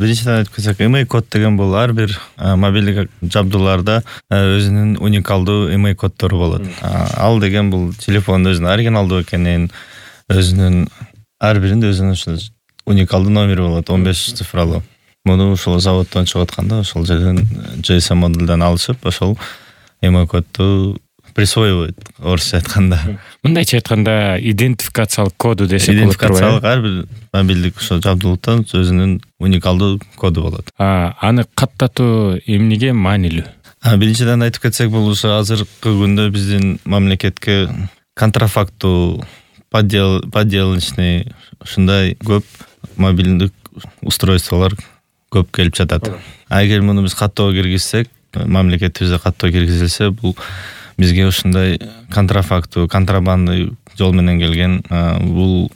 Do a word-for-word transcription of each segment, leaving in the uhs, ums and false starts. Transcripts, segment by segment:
Биринчиден айтып кетсек, email код деген бул ар бир мобилдик жабдууларда өзүнүн уникалдуу email коддору болот. Ал деген бул телефондун өзүнүн оригиналдуу экенин, өзүнүн ар биринде өзүнүн ушул уникалдуу номери болот, он беш цифралуу. Муну ушул заводдон чыгып атканда ошол жерден джи эс эм модулдан алышып, ошол email кодду присвоивать, орусча айтканда. Мындайча айтканда, идентификациялык коду десек болот. Идентификациялык ар бир мобилдик ошо жабдуулуктан өзүнүн уникалдуу коду болот. А, аны каттатуу эмнеге маанилүү? Биринчиден айтып кетсек, бул ошо азыркы күндө биздин мамлекетке контрафактуу, подделочный ушундай көп мобилдик устройстволор көп келип жатат. Эгер муну биз каттоого киргизсек, мамлекетибизде каттоо киргизилсе, бул бизге ушундай контрафактуу, контрабандный жол менен келген, бул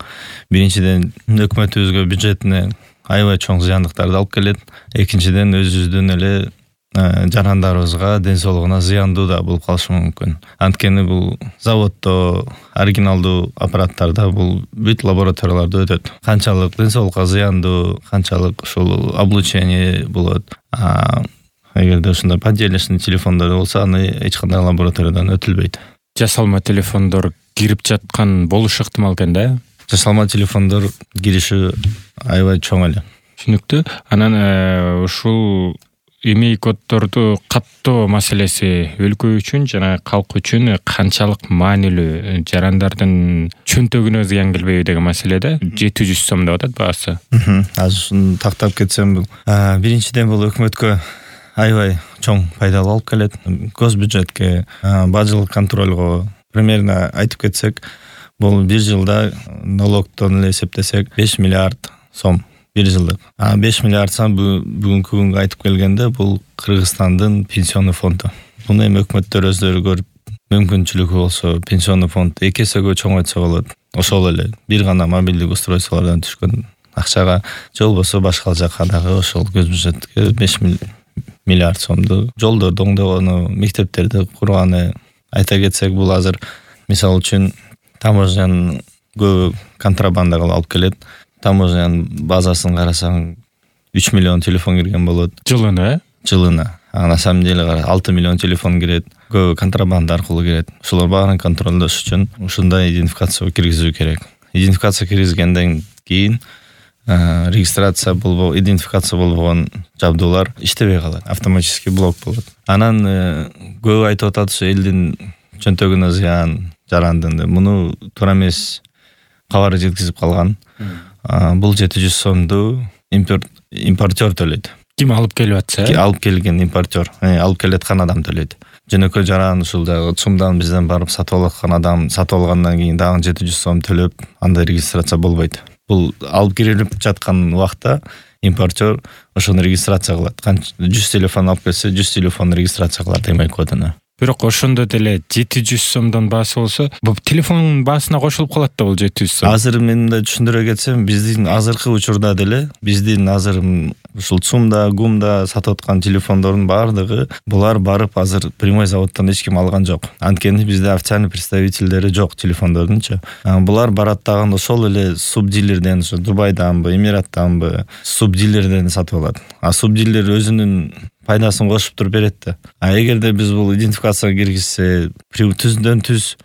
биринчиден өкмөтүбүзгө, бюджетине аябай чоң зыяндыктарды алып келет. Экинчиден өзүбүздүн эле жарандарыбызга, ден соолугуна зыяндуу да болуп калышы мүмкүн. Анткени бул заводдо, оригиналдуу аппараттарда бул бүт лабораторияларда өтөт. Канчалык ден соолукка зыяндуу, канчалык ушул облучение болот. Эгерде ушундай подделочный телефондор болсо, аны эч кандай лабораториядан өтүлбөйт. Жасалма телефондор кирип жаткан болушу ыктымал экен да? Жасалма телефондор кириши аябай чоң эле. Түшүнүктүү. Анан ушул email коддорду каттоо маселеси өлкө үчүн жана калк үчүн канчалык маанилүү? Жарандардын чөнтөгүнө зыян келбейби деген маселеде жети жүз сом деп атат баасы. Азыр ушуну тактап кетсем, бул биринчиден бул өкмөткө аябай чоң пайдалуу алып келет. Госбюджетке, бажылык контролго примерно айтып кетсек, бул бир жылда налогдон эле эсептесек беш миллиард сом бир жылдык. А беш миллиард сом бүгүнкү күнгө айтып келгенде бул Кыргызстандын пенсионный фонду. Муну эми өкмөттөр өздөрү көрүп, мүмкүнчүлүгү болсо пенсионный фонд эки эсеге чоңойтса болот. Ошол эле бир гана мобилдик устройстволордон түшкөн акчага, же болбосо башка жака дагы ошол госбюджетке беш миллиард сомду жолдорду оңдогону, мектептерди курганы. Айта кетсек, бул азыр мисалы үчүн таможняны көбү контрабанда кылып алып келет. Таможняның базасын карасаң үч миллион телефон кирген болот. Жылына, э? Жылына. А на самом деле алты миллион телефон кирет. Көбү контрабанда аркылуу кирет. Ошолор баарын контролдош үчүн ушундай идентификация киргизүү керек. Идентификация киргизгенден кийин регистрация болбо, идентификация болбогон жабдуулар иштебей калат. Автоматический блок болот. Анан көбү айтып атат, ушу элдин чөнтөгүнө зыян, жарандын. Муну туура эмес кабар жеткизип калган. Бул жети жүз сомду импортер төлөйт. Ким алып келип атса? Алып келген импортер, алып келеткан адам төлөйт. Жөнөкөй жаран ушул дагы сумдан бизден барып сатып алаткан адам сатып алгандан кийин дагы жети жүз сом төлөп, андай регистрация болбойт. Бул алып кирип жаткан убакта импортер ошону регистрация кылат. жүз телефон алып келсе, жүз телефон регистрация кылат email кодуна. Бирок ошондо деле жети жүз сомдон баасы болсо, бул телефонун баасына кошулуп калат да бул жети жүз сом. Азыр мен да түшүндүрө кетсем, биздин азыркы учурда деле, биздин азыр ушул ЦУМда, ГУМда сатып аткан телефондордун баардыгы булар барып азыр прямой заводдон эч ким алган жок. Анткени бизде официальный представительдери жок телефондордунчу. Булар барат дагы ошол эле субдилерден, ошо Дубайданбы, Эмираттанбы, субдилерден сатып алат. А субдилер өзүнүн пайдасын кошуп туруп берет да. А эгерде биз бул идентификацияга киргизсе, түздөн түз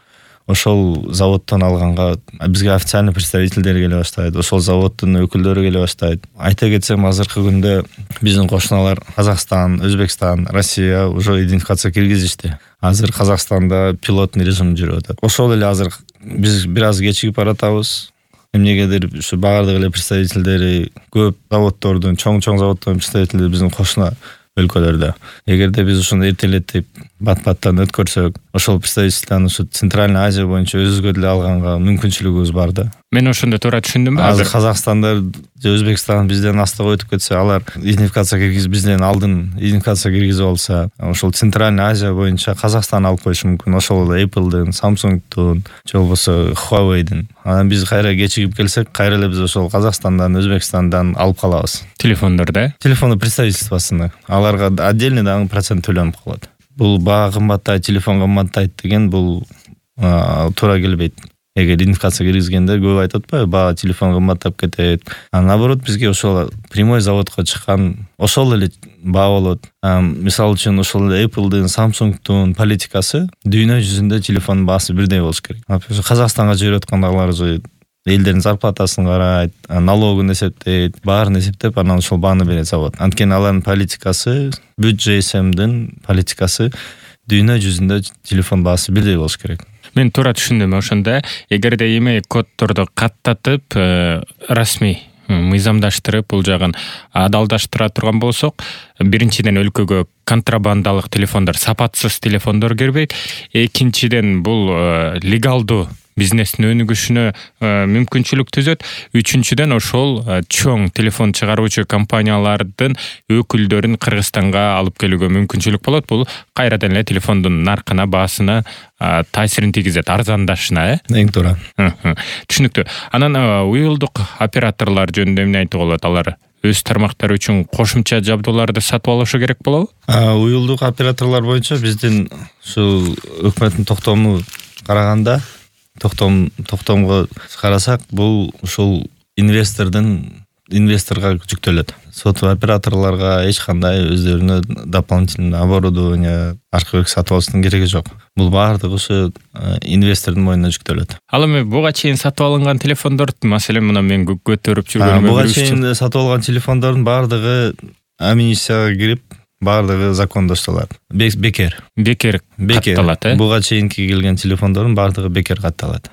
ошол заводдон алганга бизге официальный представительдер келе баштайт, ошол заводдун өкүлдөрү келе баштайт. Айта кетсем, азыркы күндө биздин кошуналар Казакстан, Өзбекстан, Россия уже идентификация киргизишти. Азыр Казакстанда пилотный режим жүрүп атат. Ошол эле азыр биз бир аз кечигип баратабыз. Эмнегедир ушу баардык эле представительдери көп заводдордун, чоң-чоң заводдордун представительдери биздин кошуна өлкөлөрдө. Эгерде биз ушуну эртелетип, бат-баттан өткөрсөк, ошол представительствону ушу Центральный Азия боюнча өзүбүзгө деле алганга мүмкүнчүлүгүбүз бар да. Мен ошондо туура түшүндүмбү? Азыр Казакстандар же Өзбекстан бизден астыга өтүп кетсе, алар идентификация киргизип бизден алдын идентификация киргизип алса, ошол Центральный Азия боюнча Казакстан алып коюшу мүмкүн. Ошол эле Apple'дын, Samsung'дун, же болбосо Huawei'дин. Анан биз кайра кечигип келсек, кайра эле биз ошол Казакстандан, Өзбекстандан алып калабыз. Телефондорду, телефондун представительствосуна. Аларга отдельный дагы процент төлөнүп калат. Бул баа кымбаттайт, телефон кымбаттайт деген бул туура келбейт. эгер идентификация киргизгенде көп айтып атпайбы, баа телефон кымбаттап кетет. А наоборот бизге ошол прямой заводко чыккан ошол эле баа болот. Мисалы үчүн ошол Apple'дын, Samsung'дун политикасы дүйнө жүзүндө телефондун баасы бирдей болуш керек. Казакстанга жиберип аткандагылар же элдердин зарплатасын карайт, налогун эсептейт, баарын эсептеп анан ошол бааны берет завод. Анткени алардын политикасы, бүт джи эс эмдин политикасы дүйнө жүзүндө телефон баасы бирдей болуш керек. Мен туура түшүндүм. Ошондо эгерде эми коддорду каттатып расмий мыйзамдаштырып бул жагын адалдаштыра турган болсок, биринчиден өлкөгө контрабандалык телефондор, сапатсыз телефондор кирбейт. Экинчиден бул легалдуу бизнестин өнүгүшүнө мүмкүнчүлүк түзөт. Үчүнчүдөн ошол чоң телефон чыгаруучу компаниялардын өкүлдөрүн Кыргызстанга алып келүүгө мүмкүнчүлүк болот. Бул кайрадан эле телефондун наркына, баасына таасирин тийгизет, арзандашына, э? Эң туура. Түшүнүктүү. Анан уюлдук операторлор жөнүндө эмне айтууга болот? Алар өз тармактары үчүн кошумча жабдууларды сатып алышы керек болобу? Уюлдук операторлор боюнча биздин ушул өкмөттүн токтомуна караганда, токтом токтомго карасак, бул ушул инвестордун инвесторго жүктөлөт. Соту операторлорго эч кандай өздөрүнө дополнительный оборудование, аркы сатып алыштын кереги жок. Бул баардыгы ушу инвестордун мойнуна жүктөлөт. Ал эми буга чейин сатып алынган телефондор, маселен мына мен көтөрүп жүргөнүм, буга чейин сатып алган телефондордун баардыгы амнистияга кирип, баардыгы закондоштолот. Бекер. Бекер катталат, э? Буга чейинки келген телефондордун баардыгы бекер катталат.